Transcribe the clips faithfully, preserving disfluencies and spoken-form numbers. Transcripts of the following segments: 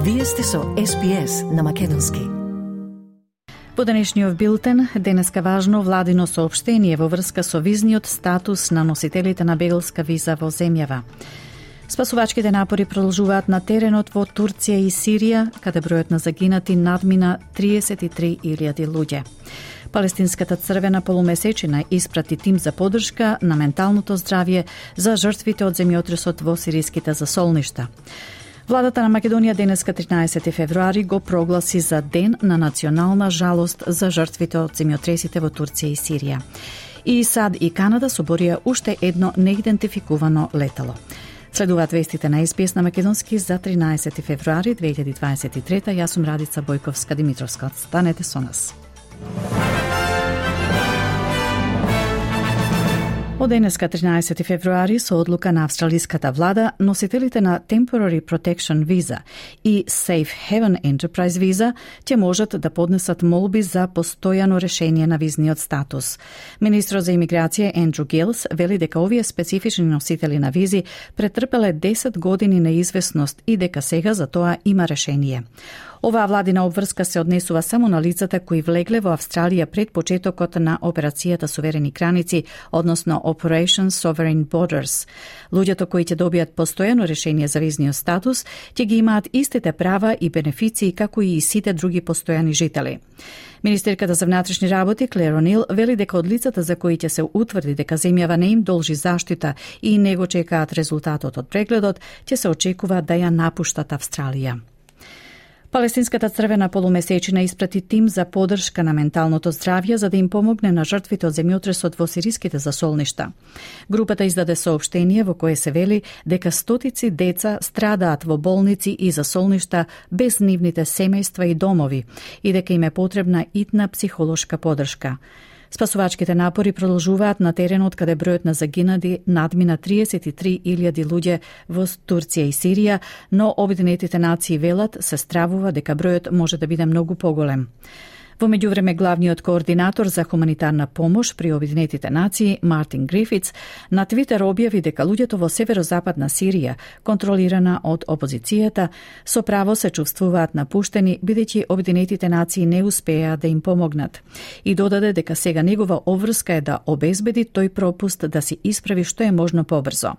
Вие сте со Ес Би Ес на македонски. Во денешниот билтен, денеска важно владино соопштение во врска со визниот статус на носителите на беглска виза во земјава. Спасувачките напори продолжуваат на теренот во Турција и Сирија, каде бројот на загинати надмина триесет и три илјади луѓе. Палестинската црвена полумесечина испрати тим за поддршка на менталното здравје за жртвите од земјотресот во сириските засолништа. Владата на Македонија денеска тринаесети февруари го прогласи за ден на национална жалост за жртвите од земјотресите во Турција и Сирија. И САД и Канада соборија уште едно неидентификувано летало. Следуваат вестите на Ес Би Ес на македонски за тринаесети февруари две илјади дваесет и трета. Јас сум Радица Бојковска-Димитровска. Станете со нас. Од денеска тринаесети февруари со одлука на австралиската влада, носителите на Temporary Protection Visa и Safe Haven Enterprise Visa ќе можат да поднесат молби за постојано решение на визниот статус. Министрот за имиграција Ендрю Гилс вели дека овие специфични носители на визи претрпеле десет години неизвестност и дека сега за тоа има решение. Оваа владина обврска се однесува само на лицата кои влегле во Австралија пред почетокот на операцијата Суверени граници, односно Operation Sovereign Borders. Луѓето кои ќе добијат постојано решение за визниот статус ќе ги имаат истите права и бенефиции како и сите други постојани жители. Министерката за внатрешни работи Клер О'Нил вели дека од лицата за кои ќе се утврди дека земјава не им должи заштита и не го чекаат резултатот од прегледот, ќе се очекува да ја напуштат Австралија. Палестинската црвена полумесечина испрати тим за поддршка на менталното здравје за да им помогне на жртвите од земјотресот во сириските засолништа. Групата издаде соопштение во кое се вели дека стотици деца страдаат во болници и засолништа без нивните семејства и домови и дека им е потребна итна психолошка поддршка. Спасувачките напори продолжуваат на теренот каде бројот на загинати надмина триесет и три илјади луѓе во Турција и Сирија, но Обединетите нации велат се стравува дека бројот може да биде многу поголем. Во меѓувреме, главниот координатор за хуманитарна помош при Обединетите нации, Мартин Грифитс, на Твитер објави дека луѓето во северозападна Сирија, контролирана од опозицијата, со право се чувствуваат напуштени, бидејќи Обединетите нации не успеа да им помогнат. И додаде дека сега негова обврска е да обезбеди тој пропуст да се исправи што е можно побрзо.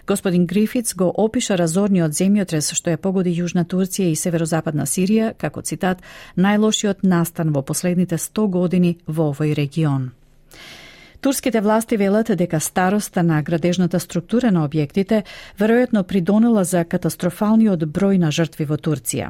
Господин Грифитс го опиша разорниот земјотрес што ја погоди Јужна Турција и северозападна Сирија како цитат најлошиот настан во последните сто години во овој регион. Турските власти велат дека староста на градежната структура на објектите веројатно придонела за катастрофалниот број на жртви во Турција.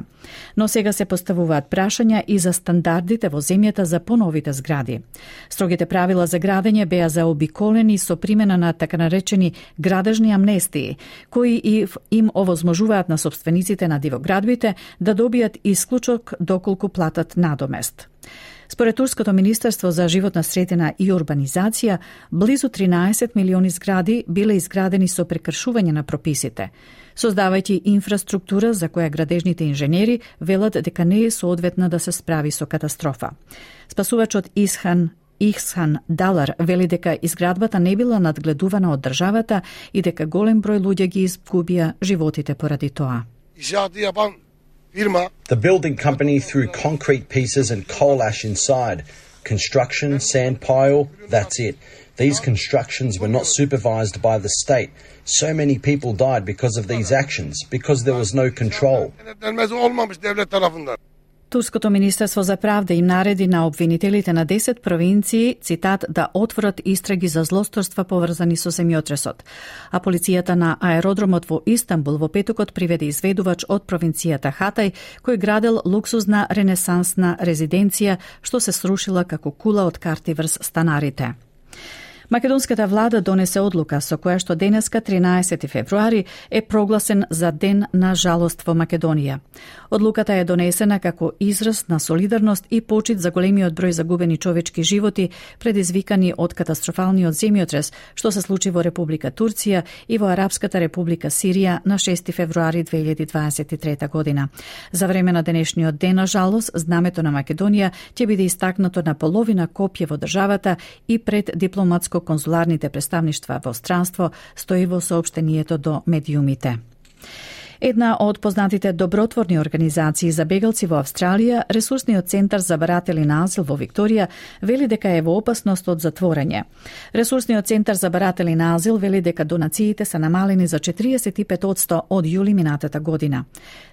Но сега се поставуваат прашања и за стандардите во земјата за поновите згради. Строгите правила за градење беа заобиколени со примена на така наречени градежни амнестии, кои и им овозможуваат на сопствениците на дивоградбите да добијат исклучок доколку платат надомест. Според Турското министерство за животна средина и урбанизација, близу тринаесет милиони згради биле изградени со прекршување на прописите, создавајќи инфраструктура за која градежните инженери велат дека не е соодветна да се справи со катастрофа. Спасувачот Исхан Ихсан Далар вели дека изградбата не била надгледувана од државата и дека голем број луѓе ги изгубија животите поради тоа. The building company threw concrete pieces and coal ash inside. Construction, sand pile, that's it. These constructions were not supervised by the state. So many people died because of these actions, because there was no control. Турското министерство за правда им нареди на обвинителите на десет провинции, цитат, да отворат истраги за злосторства поврзани со земјотресот. А полицијата на аеродромот во Истанбул во петокот приведе изведувач од провинцијата Хатај, кој градел луксузна ренесансна резиденција, што се срушила како кула од карти врз станарите. Македонската влада донесе одлука со која што денеска тринаесети февруари е прогласен за ден на жалост во Македонија. Одлуката е донесена како израз на солидарност и почит за големиот број загубени човечки животи предизвикани од катастрофалниот земјотрес што се случи во Република Турција и во Арапската Република Сирија на шести февруари две илјади дваесет и трета година. За време на денешниот ден на жалост, знамето на Македонија ќе биде истакнато на половина копје во државата и пред дипломатско-конзуларните представништва во странство, стои во соопштението до медиумите. Една од познатите добротворни организации за бегалци во Австралија, Ресурсниот центар за баратели на азил во Викторија, вели дека е во опасност од затворање. Ресурсниот центар за баратели на азил вели дека донациите се намалени за четириесет и пет одсто од јули минатата година.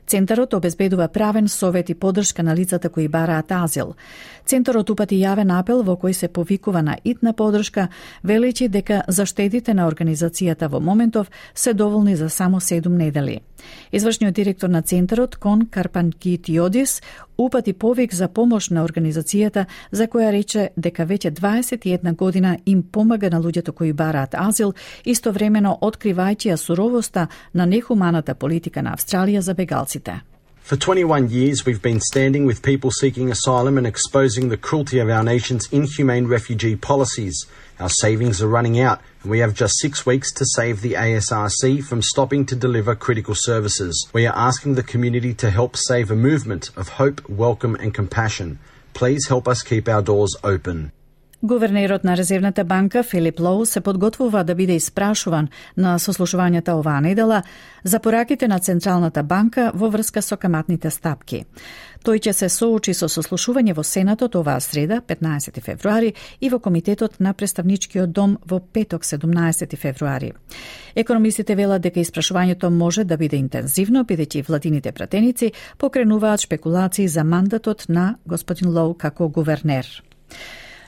Центарот обезбедува правен совет и поддршка на лицата кои бараат азил. Центарот упати јавен апел во кој се повикува на итна поддршка, велејќи дека заштедите на организацијата во моментов се доволни за само седум недели. Извршниот директор на Центарот, Кон Карпанкитиодис, упати повик за помош на организацијата, за која рече дека веќе дваесет и една година им помага на луѓето кои бараат азил, истовремено откривајќи ја суровоста на нехуманата политика на Австралија за бегалците. For twenty-one years, we've been standing with people seeking asylum and exposing the cruelty of our nation's inhumane refugee policies. Our savings are running out, and we have just six weeks to save the A S R C from stopping to deliver critical services. We are asking the community to help save a movement of hope, welcome and compassion. Please help us keep our doors open. Гувернерот на Резервната банка Филип Лоу се подготвува да биде испрашуван на сослушувањата оваа недела за пораките на Централната банка во врска со каматните стапки. Тој ќе се соочи со сослушување во Сенатот оваа среда, петнаесети февруари, и во Комитетот на Представничкиот дом во петок, седумнаесети февруари. Економистите велат дека испрашувањето може да биде интензивно, бидејќи владините пратеници покренуваат шпекулации за мандатот на господин Лоу како гувернер.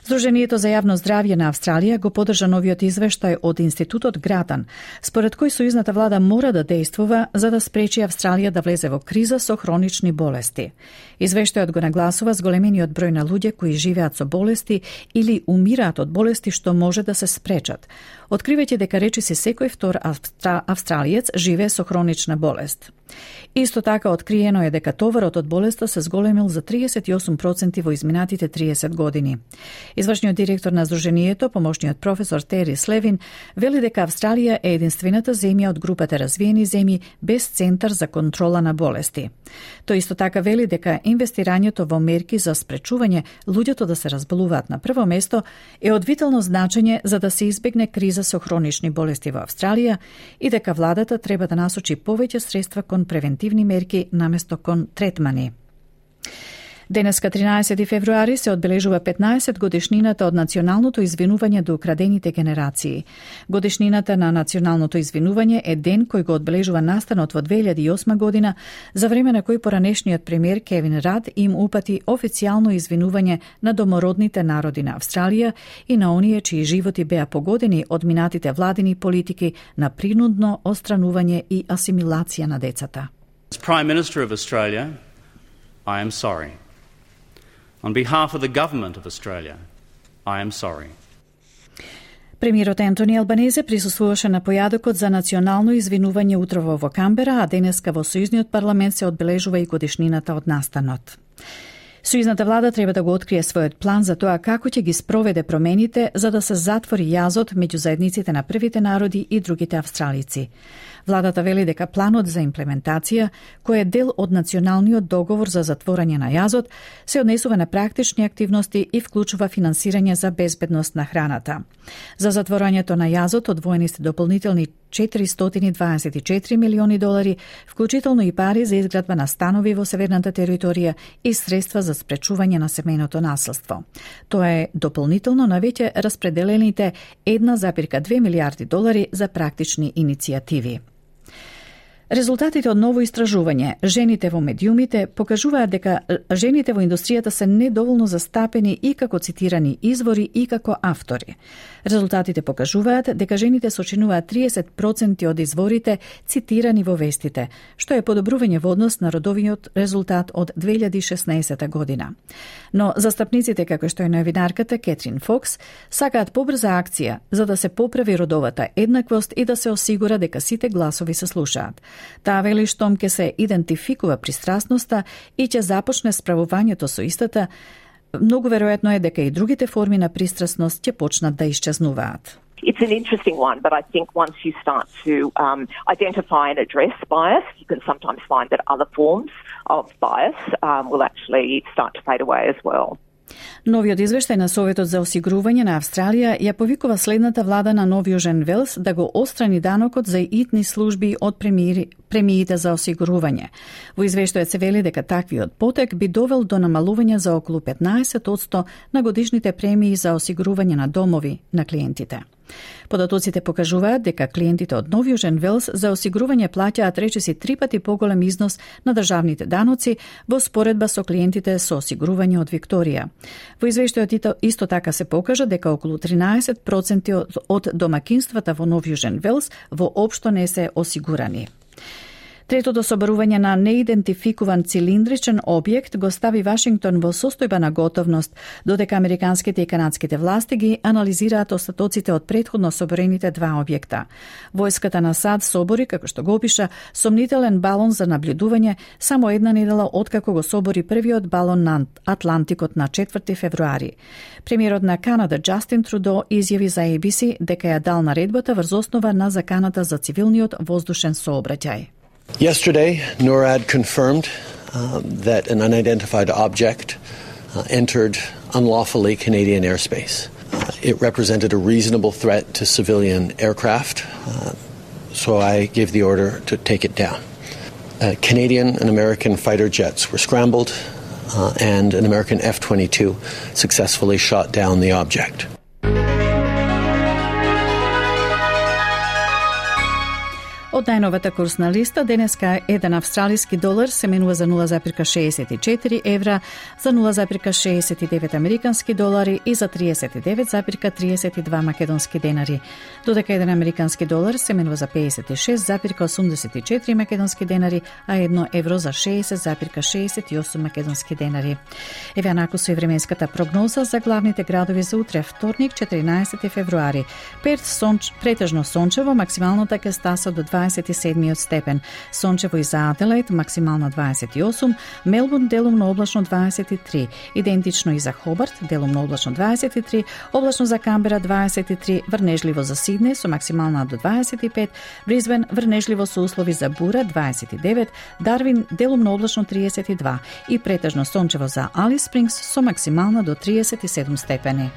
Сдруженијето за јавно здравје на Австралија го поддржа новиот извештај од Институтот Гратан, според кој сојузната влада мора да действува за да спречи Австралија да влезе во криза со хронични болести. Извештајот го нагласува зголемениот број на луѓе кои живеат со болести или умираат од болести што може да се спречат, откривајќи дека речиси секој втор австра... австралиец живее со хронична болест. Исто така откриено е дека товарот од болеста се зголемил за триесет и осум проценти во изминатите триесет години. Извршниот директор на Сдруженијето, помошниот професор Тери Слевин, вели дека Австралија е единствената земја од групата развиени земји без центар за контрола на болести. Тој исто така вели дека инвестирањето во мерки за спречување луѓето да се разболуваат на прво место е од витално значење за да се избегне криза со хронични болести во Австралија и дека владата треба да насочи повеќе средства кон превентивни мерки наместо кон третмани. Денеска, тринаесети февруари, се одбележува петнаесет годишнината од националното извинување до украдените генерации. Годишнината на националното извинување е ден кој го одбележува настанот во две илјади и осма година, за време на кој поранешниот премиер Кевин Рад им упати официјално извинување на домородните народи на Австралија и на оние чии животи беа погодени од минатите владини политики на принудно отстранување и асимилација на децата. As Prime Minister of Australia, I am sorry. On behalf of the Government of Australia, I am sorry. Премиерот Ентони Албанезе присуствуваше на појадокот за национално извинување утрово во Камбера, а денеска во Сојузниот парламент се одбележува и годишнината од настанот. Сојузната влада треба да го открие својот план за тоа како ќе ги спроведе промените за да се затвори јазот меѓу заедниците на првите народи и другите австралици. Владата вели дека планот за имплементација, кој е дел од националниот договор за затворање на јазот, се однесува на практични активности и вклучува финансирање за безбедност на храната. За затворањето на јазот одвоени се дополнителни четиристотини дваесет и четири милиони долари, вклучително и пари за изградба на станови во северната територија и средства за спречување на семејното насилство. Тоа е дополнително на веќе распределените една зарез две милијарди долари за практични иницијативи. Резултатите од ново истражување «Жените во медиумите» покажуваат дека жените во индустријата се недоволно застапени и како цитирани извори и како автори. Резултатите покажуваат дека жените сочинуваат триесет проценти од изворите цитирани во вестите, што е подобрување во однос на родовиот резултат од две илјади и шеснаесета година. Но застапниците, како што е новинарката Кетрин Фокс, сакаат побрза акција за да се поправи родовата еднаквост и да се осигура дека сите гласови се слушаат. Таа вели штом ќе се идентификува пристрасноста и ќе започне справувањето со истата, многу веројатно е дека и другите форми на пристрасност ќе почнат да исчезнуваат. It's an interesting one, but I think once you start to um, identify and address bias, you can sometimes find that other forms of bias um, will actually start to fade away as well. Новиот извештај на Советот за осигурување на Австралија ја повикува следната влада на Нов Јужен Велс да го отстрани данокот за итни служби од премири, премиите за осигурување. Во извештајот се вели дека таквиот потек би довел до намалување за околу петнаесет одсто на годишните премии за осигурување на домови на клиентите. Податоците покажуваат дека клиентите од Нов Јужен Велс за осигурување плаќаат речиси три пати поголем износ на државните даноци во споредба со клиентите со осигурување од Викторија. Во извештајот исто така се покажа дека околу тринаесет проценти од домакинствата во Нов Јужен Велс воопшто не се осигурани. Третото собарување на неидентификуван цилиндричен објект го стави Вашингтон во состојба на готовност, додека американските и канадските власти ги анализираат остатоците од претходно соборените два објекта. Војската на САД собори, како што го опиша, сомнителен балон за наблюдување само една недела откако го собори првиот балон на Атлантикот на четврти февруари. Премиерот на Канада Джастин Трудо изјави за A B C дека ја дал наредбата врз основа на заканата за цивилниот воздушен сообраќај. Yesterday, NORAD confirmed uh, that an unidentified object uh, entered unlawfully Canadian airspace. Uh, it represented a reasonable threat to civilian aircraft, uh, so I gave the order to take it down. Uh, Canadian and American fighter jets were scrambled, uh, and an American F twenty-two successfully shot down the object. Од најновата курсна листа, денеска еден австралиски долар се менува за нула запирка шеесет и четири евра, за нула запирка шеесет и девет американски долари и за триесет и девет запирка триесет и два македонски денари. Додека еден американски долар се менува за пеесет и шест запирка осумдесет и четири македонски денари, а едно евро за шеесет запирка шеесет и осум македонски денари. Еве анаку со временската прогноза за главните градови за утре, вторник, четиринаесети февруари. Перт сонч, претежно сончево, максималната ќе стаса до дваесет и седми степен. Сончево и за Аделаид, максимално дваесет и осум, Мелбурн делумно облачно дваесет и три, идентично и за Хобарт, делумно облачно дваесет и три, облачно за Камбера дваесет и три, врнежливо за Сиднеј со максимална до дваесет и пет, Брисбен врнежливо со услови за бура дваесет и девет, Дарвин делумно облачно триесет и два и претежно сончево за Алис Спрингс со максимална до триесет и седум степени.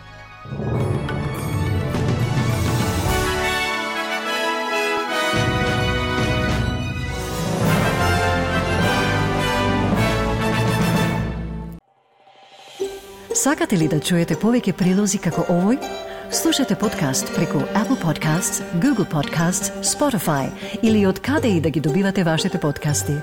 Сакате ли да чуете повеќе прилози како овој? Слушате подкаст преку Apple Podcasts, Google Podcasts, Spotify или од каде и да ги добивате вашите подкасти.